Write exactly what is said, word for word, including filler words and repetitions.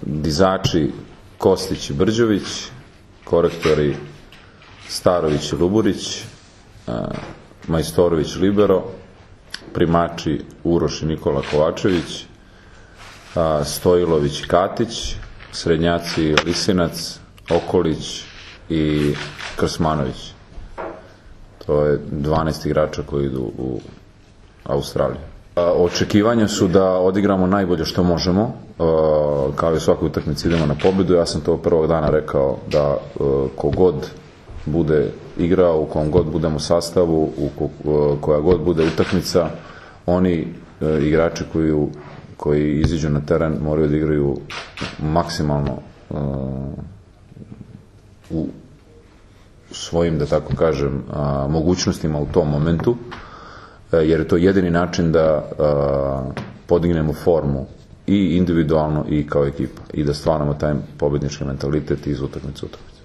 dizači Kostić i Brđović, korektori Starović i Luburić, Majstorović Libero, primači Uroš i Nikola Kovačević, Stojilović i Katić, srednjaci Lisinac, Okolić i Krsmanović. To je dvanaest igrača koji idu u Australiju. Očekivanja su da odigramo najbolje što možemo, kao i u svakoj utakmici idemo na pobedu. Ja sam to prvog dana rekao da kogod bude igrao, u kom god budemo u sastavu, u koja god bude utakmica, oni igrači koji, koji iziđu na teren moraju da igraju maksimalno u svojim, da tako kažem, mogućnostima u tom momentu, jer je to jedini način da podignemo formu i individualno i kao ekipa i da stvaramo taj pobednički mentalitet iz utakmice u utakmicu.